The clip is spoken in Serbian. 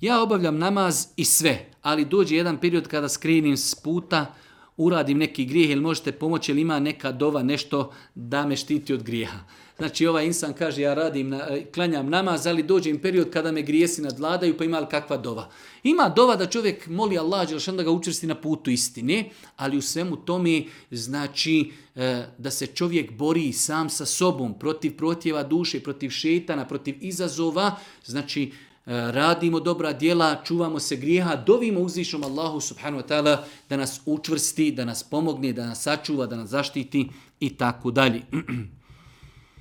ja obavljam namaz i sve, ali dođe jedan period kada skrenim s puta, uradim neki grijeh, ili možete pomoći, ili ima neka dova, nešto da me štiti od grijeha. Znači ovaj insan kaže ja klanjam namaz, ali dođe im period kada me grijesi nadvladaju, pa ima li kakva dova. Ima dova da čovjek moli Allah, da ga učvrsti na putu istine, ali u svemu tome znači da se čovjek bori sam sa sobom, protiv protjeva duše, protiv šetana, protiv izazova, znači radimo dobra djela, čuvamo se grijeha, dovimo uzvišnom Allahu subhanahu wa ta'ala da nas učvrsti, da nas pomogne, da nas sačuva, da nas zaštiti i tako dalje.